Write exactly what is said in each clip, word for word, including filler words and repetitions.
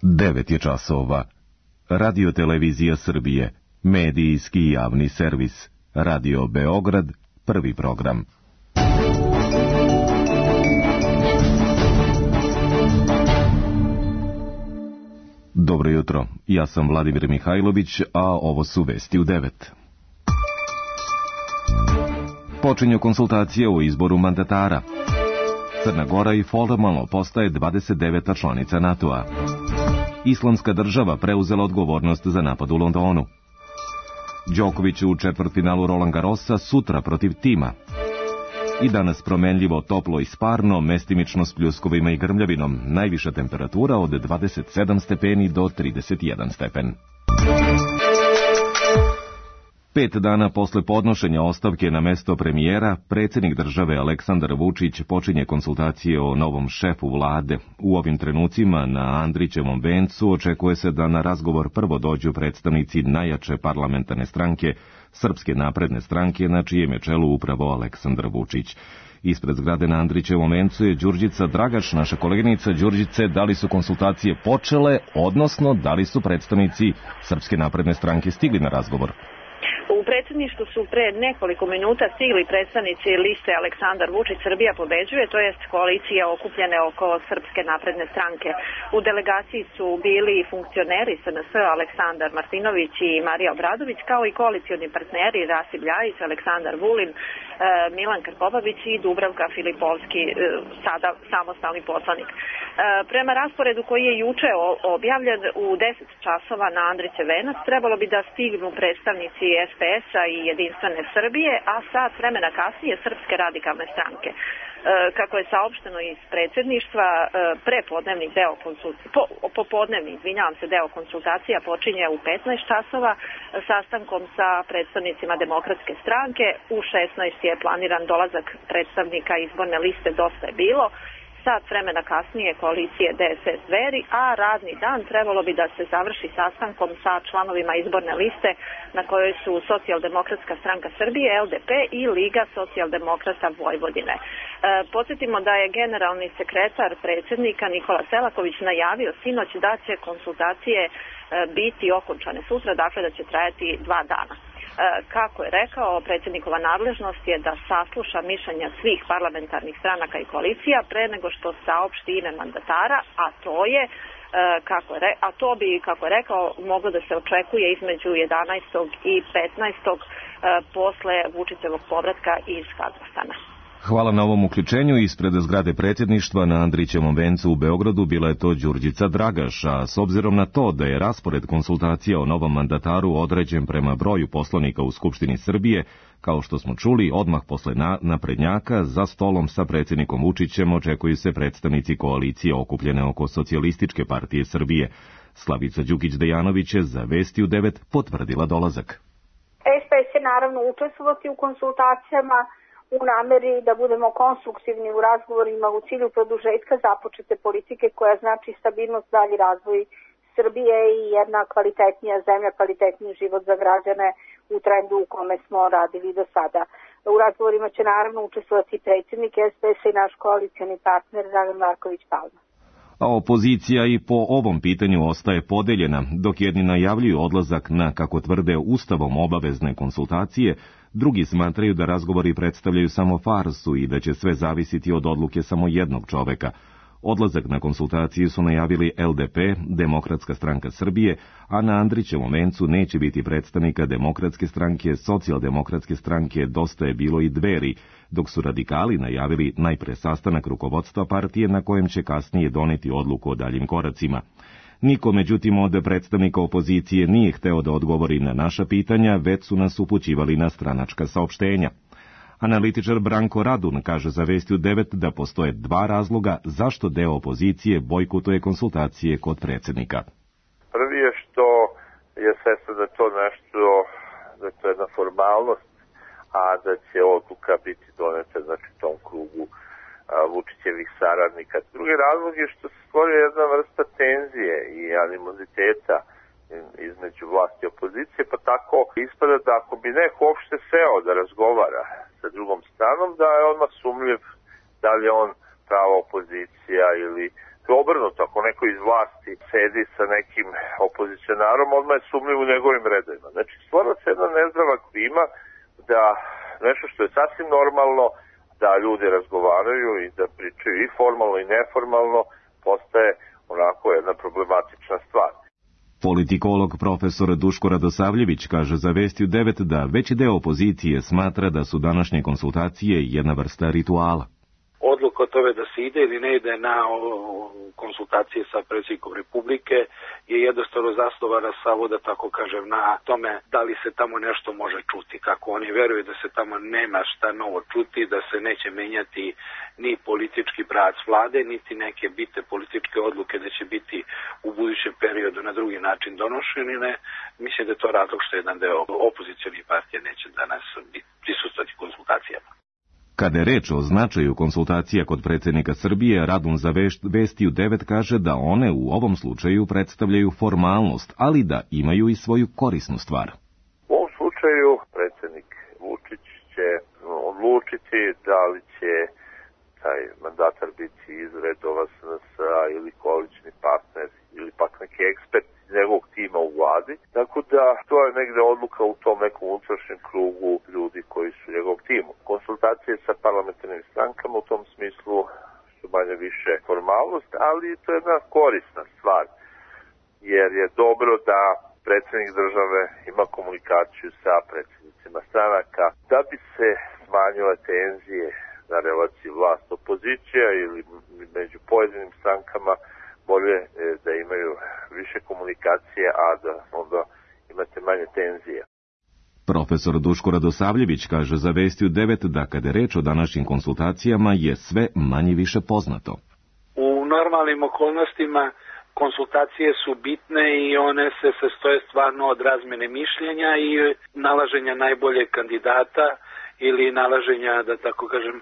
devet je časova. Radio Televizija Srbije, medijski javni servis. Radio Beograd, prvi program. Dobro jutro, ja sam Vladimir Mihajlović, a ovo su vesti u devet. Počinju konsultacije o izboru mandatara. Crna Gora i formalno postaje dvadeset deveta članica NATO-a. Islamska država preuzela odgovornost za napad u Londonu. Đoković u četvrtfinalu Roland Garrosa sutra protiv Tima. I danas promenljivo, toplo i sparno, mestimično s pljuskovima i grmljavinom. Najviša temperatura od dvadeset sedam stepeni do trideset jedan stepen. Pet dana posle podnošenja ostavke na mesto premijera, predsjednik države Aleksandar Vučić počinje konsultacije o novom šefu vlade. U ovim trenucima na Andrićevom vencu očekuje se da na razgovor prvo dođu predstavnici najjače parlamentarne stranke, Srpske napredne stranke, na čijem je čelu upravo Aleksandar Vučić. Ispred zgrade na Andrićevom vencu je Đurđica Dragaš, naša koleginica. Đurđice, da li su konsultacije počele, odnosno da li su predstavnici Srpske napredne stranke stigli na razgovor? U predsjedništvu su pre nekoliko minuta stigli predstavnici liste Aleksandar Vučić Srbija pobeđuje, to jest koalicija okupljene oko Srpske napredne stranke. U delegaciji su bili funkcioneri S N S Aleksandar Martinović i Marija Obradović, kao i koalicioni partneri Rasim Ljajić, Aleksandar Vulin, Milan Krkobabić i Dubravka Filipovski, sada samostalni poslanik. Prema rasporedu koji je juče objavljen, u deset časova na Andrićev venac trebalo bi da stignu predstavnici S P S-a i Jedinstvene Srbije, a sat vremena kasnije Srpske radikalne stranke. Kako je saopšteno iz predsjedništva, prepodnevni deo konsultacija, po, popodnevni, izvinjavam se, deo konsultacija počinje u petnaest časova sastankom sa predstavnicima Demokratske stranke. U šesnaest je planiran dolazak predstavnika izborne liste Dosta je bilo. Sat vremena kasnije koalicije D S S Dveri, a radni dan trebalo bi da se završi sastankom sa članovima izborne liste na kojoj su Socijaldemokratska stranka Srbije, L D P i Liga socijaldemokrata Vojvodine. E, podsjetimo da je generalni sekretar predsjednika Nikola Selaković najavio sinoć da će konsultacije e, biti okončane sutra, dakle da će trajati dva dana. Kako je rekao, predsjednikova nadležnost je da sasluša mišljenja svih parlamentarnih stranaka i koalicija pre nego što saopšti ime mandatara, a to je, kako je, a to bi, kako je rekao, moglo da se očekuje između jedanaestog i petnaestog posle Vučićevog povratka iz Kazahstana. Hvala na ovom uključenju. Ispred zgrade predsjedništva na Andrićevom vencu u Beogradu bila je to Đurđica Dragaš, a s obzirom na to da je raspored konsultacija o novom mandataru određen prema broju poslanika u Skupštini Srbije, kao što smo čuli, odmah posle na, naprednjaka za stolom sa predsjednikom Vučićem očekuju se predstavnici koalicije okupljene oko Socijalističke partije Srbije. Slavica Đukić-Dejanović je za Vesti u devet potvrdila dolazak. S P S će naravno učestvovati u konsultacijama u nameri da budemo konstruktivni u razgovorima u cilju produžetka započete politike koja znači stabilnost, dalji razvoj Srbije i jedna kvalitetnija zemlja, kvalitetniji život za građane u trendu u kome smo radili do sada. U razgovorima će naravno učestvovati predsjednik S P S-a i naš koalicioni partner Dragan Marković Palma. A opozicija i po ovom pitanju ostaje podeljena, dok jedni najavljuju odlazak na, kako tvrde, ustavom obavezne konsultacije, drugi smatraju da razgovori predstavljaju samo farsu i da će sve zavisiti od odluke samo jednog čoveka. Odlazak na konsultacije su najavili L D P, Demokratska stranka Srbije, a na Andrićevom vencu neće biti predstavnika Demokratske stranke, Socijaldemokratske stranke, Dosta je bilo i Dveri, dok su radikali najavili najpre sastanak rukovodstva partije na kojem će kasnije doneti odluku o daljim koracima. Niko, međutim, od predstavnika opozicije nije hteo da odgovori na naša pitanja, već su nas upućivali na stranačka saopštenja. Analitičar Branko Radun kaže za Vesti u devet da postoje dva razloga zašto deo opozicije bojkotuje konsultacije kod predsjednika. Prvi je što je svestan da to nešto, da to je jedna formalnost, a da će odluka biti doneta, znači, u tom krugu a, Vučićevih saradnika. Drugi razlog je što se stvorio jedna vrsta tenzije i animoziteta između vlasti i opozicije, pa tako ispada da ako bi neko uopšte seo da razgovara sa drugom stranom, da je odmah sumljiv da li je on prava opozicija ili obrnuto, ako neko iz vlasti sedi sa nekim opozicionarom, odmah je sumnjiv u njegovim redovima. Znači, stvara se jedna nezdrava klima da nešto što je sasvim normalno, da ljudi razgovaraju i da pričaju i formalno i neformalno, postaje onako jedna problematična stvar. Politikolog profesor Duško Radosavljević kaže za Vesti u devet da veći deo opozicije smatra da su današnje konsultacije jedna vrsta rituala. Odluka o tome da se ide ili ne ide na konsultacije sa predsjednikom Republike je jednostavno zasnovana samo, da tako kažem, na tome da li se tamo nešto može čuti. Kako oni veruju da se tamo nema šta novo čuti, da se neće menjati ni politički brac vlade, niti neke bitne političke odluke da će biti u budućem periodu na drugi način donošene. Mislim da je to razlog što jedan deo opozicionih partija neće danas prisustvovati konsultacijama. Kada je reč o značaju konsultacija kod predsjednika Srbije, Radun za Vesti u devet kaže da one u ovom slučaju predstavljaju formalnost, ali da imaju i svoju korisnu stvar. U ovom slučaju predsjednik Vučić će odlučiti da li će taj mandatar biti iz redova S N S-a ili koalični partner ili pak neki ekspert iz njegovog tima u vladi. Tako da to je negde odluka u tom nekom unutrašnjem krugu ljudi koji su u njegovom timu. Konsultacije sa parlamentarnim strankama u tom smislu su manje više formalnost, ali to je jedna korisna stvar, jer je dobro da predsjednik države ima komunikaciju sa predsjednicima stranaka da bi se smanjile tenzije na relaciji vlast-opozicija ili među pojedinim strankama, bolje da imaju više komunikacije, a da onda imate manje tenzije. Profesor Duško Radosavljević kaže za Vesti u devet da kada je reč o današnjim konsultacijama je sve manje više poznato. U normalnim okolnostima konsultacije su bitne i one se sastoje stvarno od razmene mišljenja i nalaženja najboljeg kandidata ili nalaženja, da tako kažem,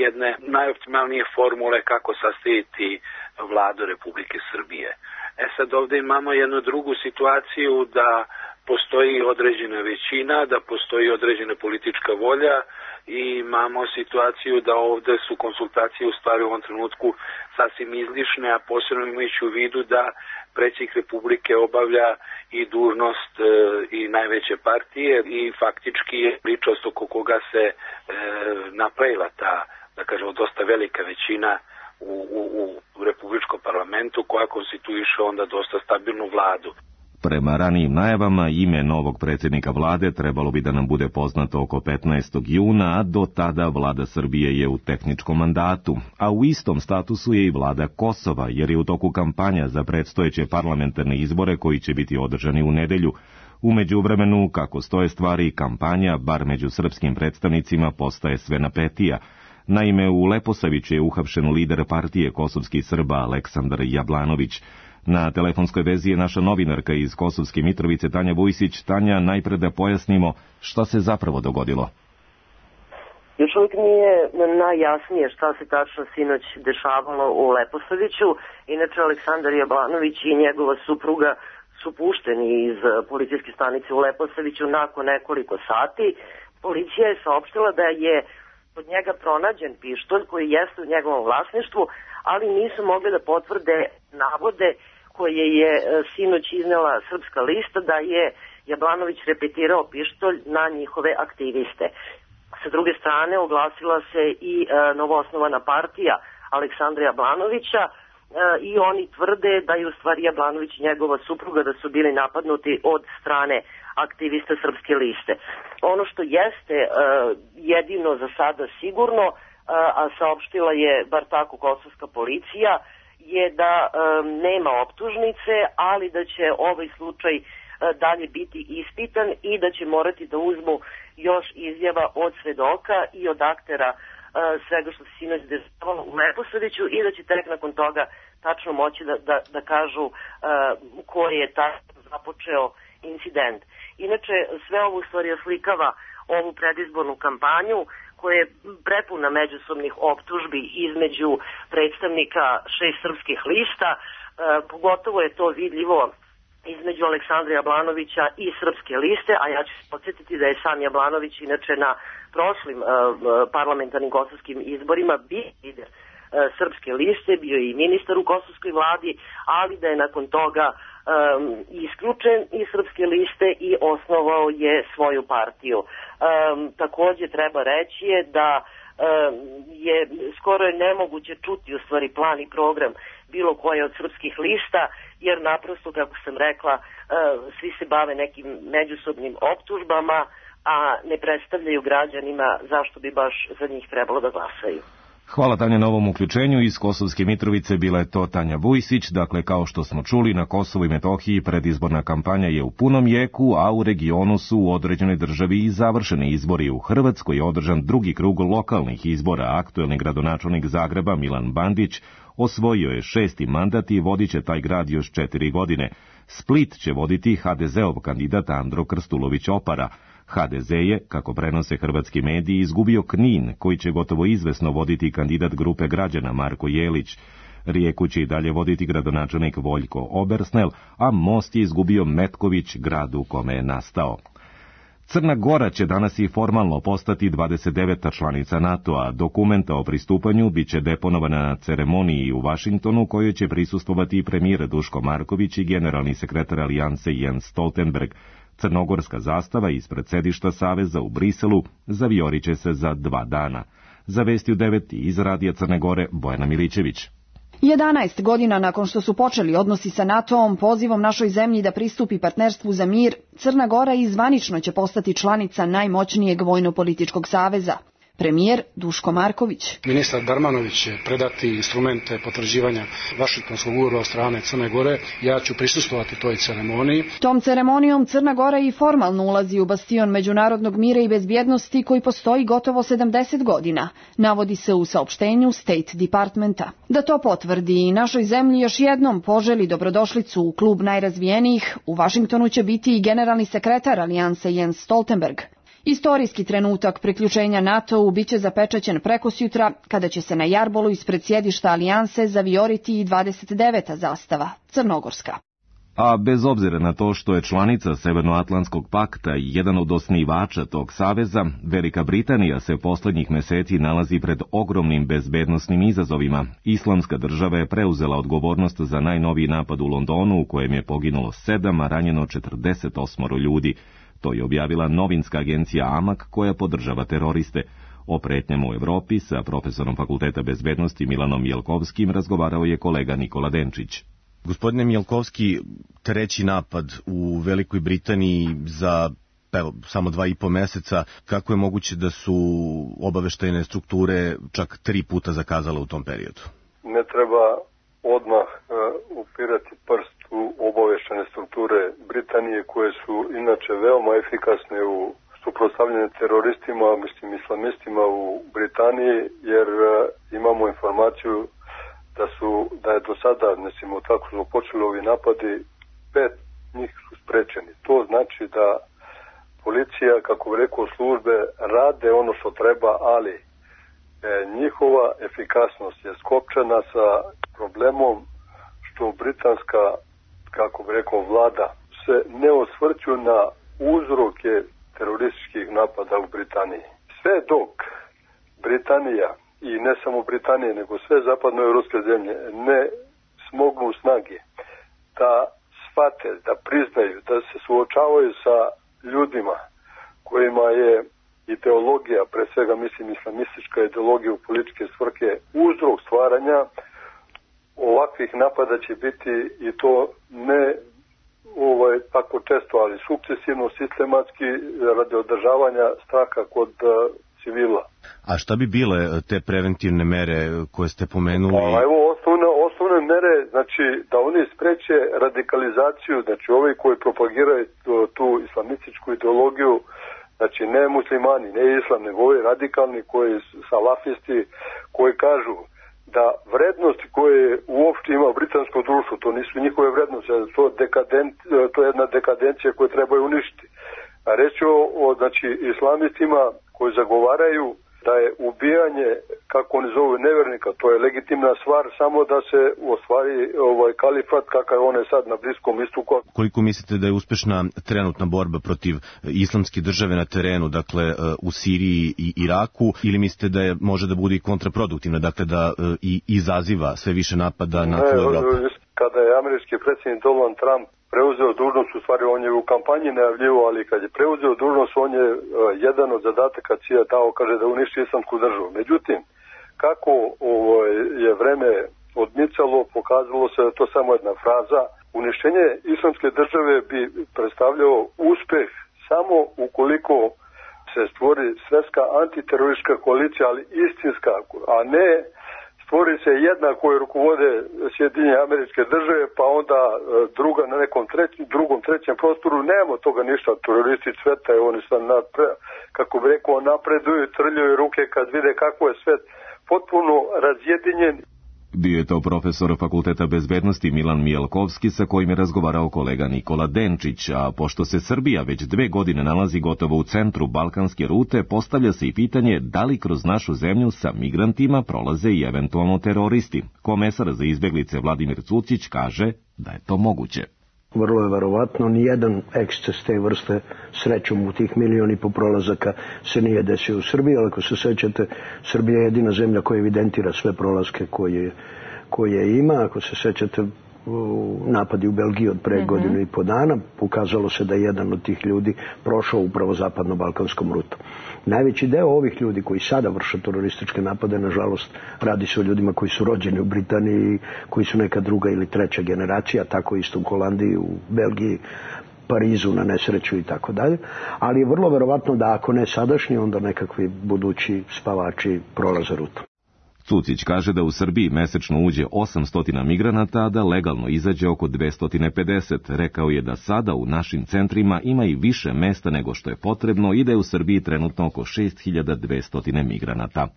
jedne najoptimalnije formule kako sastaviti vladu Republike Srbije. E sad ovdje imamo jednu drugu situaciju da postoji određena većina, da postoji određena politička volja i imamo situaciju da ovdje su konsultacije u stvari u ovom trenutku sasvim izlišne, a posebno imajući u vidu da predsjednik Republike obavlja i dužnost e, i najveće partije i faktički je ličnost oko koga se e, napravila ta, da kažemo, dosta velika većina u, u, u Republičkom parlamentu koja konstituiše onda dosta stabilnu vladu. Prema ranijim najavama, ime novog predsjednika vlade trebalo bi da nam bude poznato oko petnaestog juna, a do tada vlada Srbije je u tehničkom mandatu, a u istom statusu je i vlada Kosova, jer je u toku kampanja za predstojeće parlamentarne izbore koji će biti održani u nedelju. U međuvremenu, kako stoje stvari, kampanja, bar među srpskim predstavnicima, postaje sve napetija. Naime, u Leposaviću je uhapšen lider partije kosovskih Srba Aleksandar Jablanović. Na telefonskoj vezi je naša novinarka iz Kosovske Mitrovice Tanja Vujsić. Tanja, najpre da pojasnimo šta se zapravo dogodilo. Još uvijek nije najjasnije šta se tačno sinoć dešavalo u Leposaviću. Inače, Aleksandar Jablanović i njegova supruga su pušteni iz policijske stanice u Leposaviću nakon nekoliko sati. Policija je saopštila da je od njega pronađen pištolj koji jeste u njegovom vlasništvu, ali nisu mogli da potvrde navode koje je sinoć iznela Srpska lista da je Jablanović repetirao pištolj na njihove aktiviste. Sa druge strane oglasila se i e, novoosnovana partija Aleksandra Jablanovića e, i oni tvrde da je u stvari Jablanović i njegova supruga da su bili napadnuti od strane aktivista Srpske liste. Ono što jeste e, jedino za sada sigurno, a saopštila je bar tako kosovska policija, je da e, nema optužnice, ali da će ovaj slučaj e, dalje biti ispitan i da će morati da uzmu još izjava od svedoka i od aktera e, svega što se sinoć dešavalo u Leposaviću i da će tek nakon toga tačno moći da, da, da kažu e, ko je tačno započeo incident. Inače, sve ovo u stvari oslikava ovu predizbornu kampanju koja je prepuna međusobnih optužbi između predstavnika šest srpskih lista, e, pogotovo je to vidljivo između Aleksandra Jablanovića i Srpske liste, a ja ću se podsjetiti da je sam Jablanović inače na prošlim e, parlamentarnim kosovskim izborima bio lider Srpske liste, bio je i ministar u kosovskoj vladi, ali da je nakon toga um, isključen iz Srpske liste i osnovao je svoju partiju. Um, takođe treba reći je da um, je skoro je nemoguće čuti u stvari plan i program bilo koje od srpskih lista, jer naprosto, kako sam rekla, uh, svi se bave nekim međusobnim optužbama, a ne predstavljaju građanima zašto bi baš za njih trebalo da glasaju. Hvala Tanja na ovom uključenju. Iz Kosovske Mitrovice bila je to Tanja Vujsić. Dakle, kao što smo čuli, na Kosovu i Metohiji predizborna kampanja je u punom jeku, a u regionu su u određenoj državi i završeni izbori. U Hrvatskoj je održan drugi krug lokalnih izbora. Aktuelni gradonačelnik Zagreba Milan Bandić osvojio je šesti mandat i vodit će taj grad još četiri godine. Split će voditi ha de zeov kandidat Andro Krstulović-Opara. ha de ze je, kako prenose hrvatski mediji, izgubio Knin, koji će gotovo izvesno voditi kandidat grupe građana Marko Jelić. Rijeku će i dalje voditi gradonačelnik Voljko Obersnel, a Most je izgubio Metković, grad u kome je nastao. Crna Gora će danas i formalno postati dvadeset deveta članica NATO-a. Dokumenta o pristupanju bit će deponovana na ceremoniji u Vašingtonu, kojoj će prisustvovati i premijer Duško Marković i generalni sekretar Alijanse Jens Stoltenberg. Crnogorska zastava ispred sedišta Saveza u Briselu zaviorit će se za dva dana. Za Vesti u devet iz Radija Crne Gore, Bojana Milićević. jedanaest godina nakon što su počeli odnosi sa NATO-om pozivom našoj zemlji da pristupi partnerstvu za mir, Crna Gora i zvanično će postati članica najmoćnijeg vojno-političkog saveza. Premijer Duško Marković. Ministar Darmanović će predati instrumente potvrđivanja Vašingtonskog ugovora od strane Crne Gore. Ja ću prisustvovati toj ceremoniji. Tom ceremonijom Crna Gora i formalno ulazi u bastion međunarodnog mira i bezbjednosti koji postoji gotovo sedamdeset godina, navodi se u saopštenju State Departmenta. Da to potvrdi i našoj zemlji još jednom poželi dobrodošlicu u klub najrazvijenijih, u Vašingtonu će biti i generalni sekretar Alijanse Jens Stoltenberg. Istorijski trenutak priključenja NATO-u biće zapečaćen prekosjutra, kada će se na jarbolu ispred sjedišta Alijanse zavioriti i dvadeset deveta zastava, crnogorska. A bez obzira na to što je članica Severnoatlantskog pakta i jedan od osnivača tog saveza, Velika Britanija se poslednjih meseci nalazi pred ogromnim bezbednosnim izazovima. Islamska država je preuzela odgovornost za najnoviji napad u Londonu, u kojem je poginulo sedam, a ranjeno četrdeset osam ljudi. To je objavila novinska agencija Amak, koja podržava teroriste. O pretnjama u Evropi sa profesorom Fakulteta bezbednosti Milanom Jelkovskim razgovarao je kolega Nikola Denčić. Gospodine Mjelkovski, treći napad u Velikoj Britaniji za evo, samo dva i po meseca. Kako je moguće da su obaveštajne strukture čak tri puta zakazale u tom periodu? Ne treba odmah uh, upirati prst u obaveštajne strukture Britanije, koje su inače veoma efikasne u suprotstavljanju teroristima, mislim islamistima u Britaniji, jer uh, imamo informaciju da su da je do sada, mislim, tako su počeli ovi napadi, pet njih su sprečeni. To znači da policija, kako bi rekao, službe rade ono što treba, ali e, njihova efikasnost je skopčana sa problemom što britanska, kako bi rekao, vlada se ne osvrću na uzroke terorističkih napada u Britaniji. Sve dok Britanija, i ne samo Britanije, nego sve zapadnoevropske zemlje, ne smognu snage da shvate, da priznaju, da se suočavaju sa ljudima kojima je ideologija, pre svega mislim islamistička ideologija u političke svrhe, uzrok stvaranja ovakvih napada će biti, i to ne ovaj, tako često, ali sukcesivno, sistematski, radi održavanja straha kod uh, civila. A šta bi bile te preventivne mere koje ste pomenuli? Pa, evo, osnovne, osnovne mere, znači, da oni spreče radikalizaciju, znači, ovi koji propagiraju tu, tu islamističku ideologiju, znači, ne muslimani, ne islam, nego ovi radikalni, koji salafisti, koji kažu da vrednosti koje uopšte ima britansko društvo, to nisu njihove vrednosti, to, dekadent, to je jedna dekadencija koju trebaju uništiti. A reći o, o znači, islamistima koji zagovaraju da je ubijanje, kako oni zovu, nevernika, to je legitimna stvar, samo da se ostvari ovaj kalifat kakav on je sad na Bliskom istoku. Koliko mislite da je uspešna trenutna borba protiv islamske države na terenu, dakle u Siriji i Iraku, ili mislite da je može da bude i kontraproduktivna, dakle da i izaziva sve više napada na tlu Evropu? Kada je američki predsjednik Donald Trump preuzeo dužnost, u stvari on je u kampanji najavljivo, ali kad je preuzeo dužnost, on je uh, jedan od zadataka C I A dao, kaže da uništi islamsku državu. Međutim, kako ovo, je vreme odmicalo, pokazalo se da to samo jedna fraza. Uništenje islamske države bi predstavljao uspeh samo ukoliko se stvori svjetska antiteroristička koalicija, ali istinska, a ne stvori se jedna koju rukovode Sjedinjene Američke Države, pa onda druga na nekom trećem, drugom, trećem prostoru. Nema toga ništa, teroristi cvetaju, oni sad, napre, kako bi rekao, napreduju, trljaju ruke kad vide kako je svet potpuno razjedinjen. Bio je to profesor Fakulteta bezbednosti Milan Mijelkovski, sa kojim je razgovarao kolega Nikola Denčić, a pošto se Srbija već dve godine nalazi gotovo u centru balkanske rute, postavlja se i pitanje da li kroz našu zemlju sa migrantima prolaze i eventualno teroristi. Komesar za izbeglice Vladimir Cucić kaže da je to moguće. Vrlo je verovatno, nijedan eksces te vrste srećom u tih milion i po prolazaka se nije desio u Srbiji, ali ako se sećate, Srbija je jedina zemlja koja evidentira sve prolaske koje, koje ima. Ako se sećate, napadi u Belgiji od pre mm-hmm. godinu i po dana, pokazalo se da je jedan od tih ljudi prošao upravo zapadno-balkanskom rutom. Najveći deo ovih ljudi koji sada vrše terorističke napade, nažalost, radi se o ljudima koji su rođeni u Britaniji, koji su neka druga ili treća generacija, tako isto u Holandiji, u Belgiji, Parizu na nesreću i tako dalje. Ali je vrlo verovatno da ako ne sadašnji, onda nekakvi budući spavači prolaze rutom. Cucić kaže da u Srbiji mesečno uđe osamsto migranata, a da legalno izađe oko dvesta pedeset. Rekao je da sada u našim centrima ima i više mesta nego što je potrebno i da je u Srbiji trenutno oko šest hiljada dvesta migranata.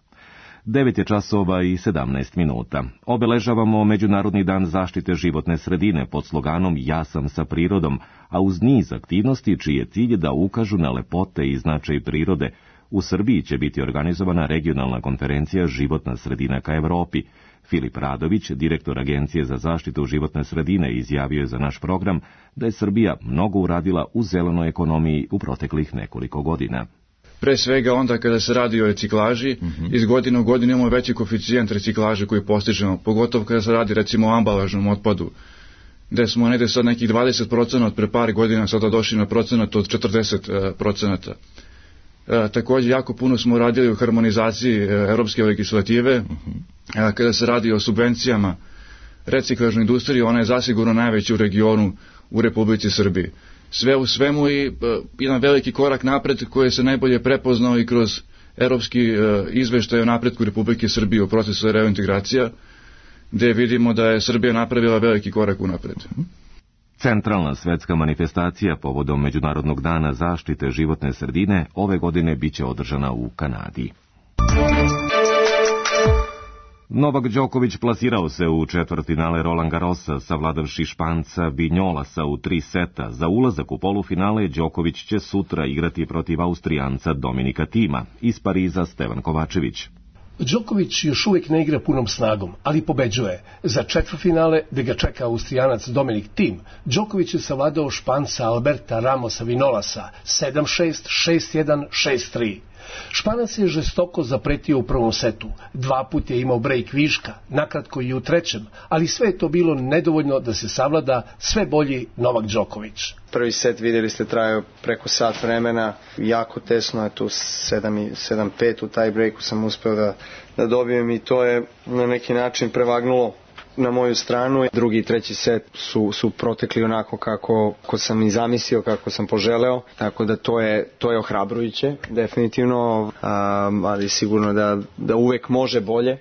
devet je časova i sedamnaest minuta. Obeležavamo Međunarodni dan zaštite životne sredine pod sloganom Ja sam sa prirodom, a uz niz aktivnosti čiji je cilj da ukažu na lepote i značaj prirode. U Srbiji će biti organizovana regionalna konferencija Životna sredina ka Evropi. Filip Radović, direktor Agencije za zaštitu životne sredine, izjavio je za naš program da je Srbija mnogo uradila u zelenoj ekonomiji u proteklih nekoliko godina. Pre svega onda kada se radi o reciklaži, mm-hmm. iz godine u godinu imamo veći koeficijent reciklaže koji postižemo, pogotovo kada se radi recimo o ambalažnom otpadu, gde smo negde sad nekih dvadeset procenta od pre par godina sada došli na procenat od četrdeset procenta. E, također jako puno smo radili u harmonizaciji e, europske legislative. E, kada se radi o subvencijama reciklažnoj industriji, ona je zasigurno najveća u regionu u Republici Srbiji. Sve u svemu i e, jedan veliki korak napred koji se najbolje prepoznao i kroz europski e, izveštaj o napretku Republike Srbije u procesu reintegracija, gde vidimo da je Srbija napravila veliki korak unapred. Centralna svetska manifestacija povodom Međunarodnog dana zaštite životne sredine ove godine biće održana u Kanadi. Novak Đoković plasirao se u četvrtfinale Roland Garrosa, savladavši Španca Vinjolasa u tri seta. Za ulazak u polufinale Đoković će sutra igrati protiv Austrijanca Dominika Tima. Iz Pariza Stevan Kovačević. Đoković još uvijek ne igra punom snagom, ali pobeđuje. Za četvrtfinale, gde ga čeka Austrijanac Dominik Tim, Đoković je savladao Španca Alberta Ramosa Vinolasa sedam šest, šest jedan, šest tri. Španac je žestoko zapretio u prvom setu. Dva put je imao brejk viška, nakratko i u trećem, ali sve je to bilo nedovoljno da se savlada sve bolji Novak Đoković. Prvi set, vidjeli ste, trajao preko sat vremena, jako tesno je tu, sedam pet u taj breaku sam uspeo da, da dobijem i to je na neki način prevagnulo na moju stranu. Drugi i treći set su, su protekli onako kako, kako sam i zamislio, kako sam poželeo, tako da to je, to je ohrabrujuće, definitivno, um, ali sigurno da, da uvek može bolje.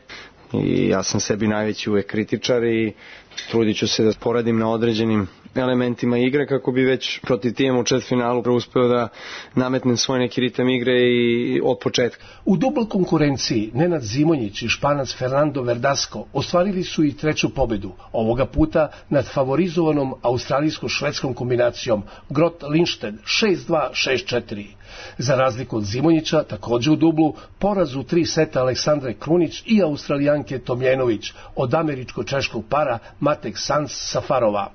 i ja sam sebi najveći uvek kritičar i trudit ću se da poradim na određenim elementima igre kako bi već protiv tima u četvrtfinalu uspeo da nametnem svoj neki ritam igre i od početka. U dubl konkurenciji Nenad Zimonjić i Španac Fernando Verdasco ostvarili su i treću pobedu, ovoga puta nad favorizovanom australijsko-švedskom kombinacijom Grot-Lindstedt šest dva šest četiri. Za razliku od Zimonjića, takođe u dublu, poraz u tri seta Aleksandre Krunić i Australijanke Tomljenović od američko-češkog para Matek Sans-Safarova.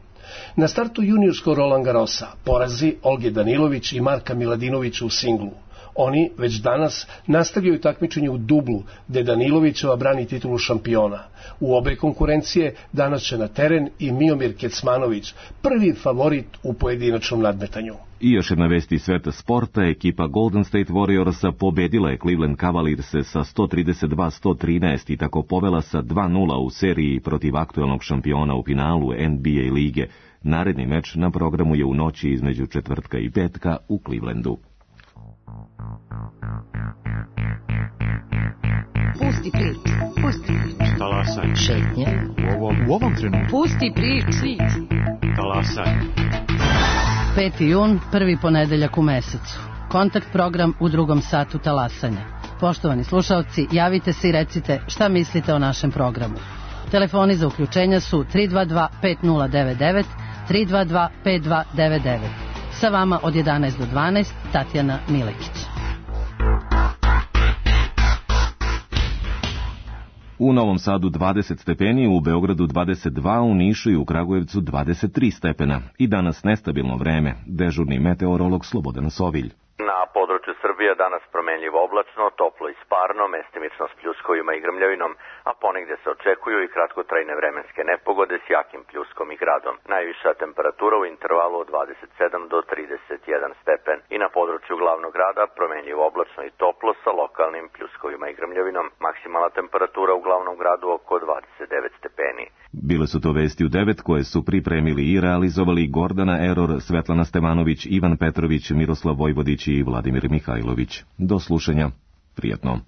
Na startu juniorskog Roland Garrosa porazi Olge Danilović i Marka Miladinovića u singlu. Oni već danas nastavljaju takmičenje u dublu, gde Danilovićeva brani titulu šampiona. U obe konkurencije danas će na teren i Miomir Kecmanović, prvi favorit u pojedinačnom nadmetanju. I još jedna vest iz sveta sporta, ekipa Golden State Warriorsa pobedila je Cleveland Cavalierse sa sto trideset dva sto trinaest i tako povela sa dva nula u seriji protiv aktuelnog šampiona u finalu N B A lige. Naredni meč na programu je u noći između četvrtka i petka u Clevelandu. Pusti priču, pusti priču. Talasaj. Šetnje. U ovom, u ovom trenutku. Pusti priču. Talasaj. peti jun, prvi ponedeljak u mesecu. Kontakt program u drugom satu talasanja. Poštovani slušalci, javite se i recite šta mislite o našem programu. Telefoni za uključenja su tri dva dva pet nula devet devet, tri dva dva pet dva devet devet. Sa vama od jedanaest do dvanaest, Tatjana Milekić. U Novom Sadu dvadeset stepeni, u Beogradu dvadeset dva, u Nišu i u Kragujevcu dvadeset tri stepena. I danas nestabilno vreme. Dežurni meteorolog Slobodan Sovilj. Na području Srbije danas promenljivo oblačno, toplo i sparno, mestimično s pljuskovima i grmljavinom, a ponegde se očekuju i kratkotrajne vremenske nepogode s jakim pljuskom i gradom. Najviša temperatura u intervalu od dvadeset sedam do trideset jedan stepen i na području glavnog grada promenljivo oblačno i toplo sa lokalnim pljuskovima i grmljavinom. Maksimalna temperatura u glavnom gradu oko dvadeset devet stepeni. Bile su to vesti u devet koje su pripremili i realizovali Gordana Eror, Svetlana Stevanović, Ivan Petrović, Miroslav Vojvodić i Vladimir Mihajlović. Do slušanja. Prijatno.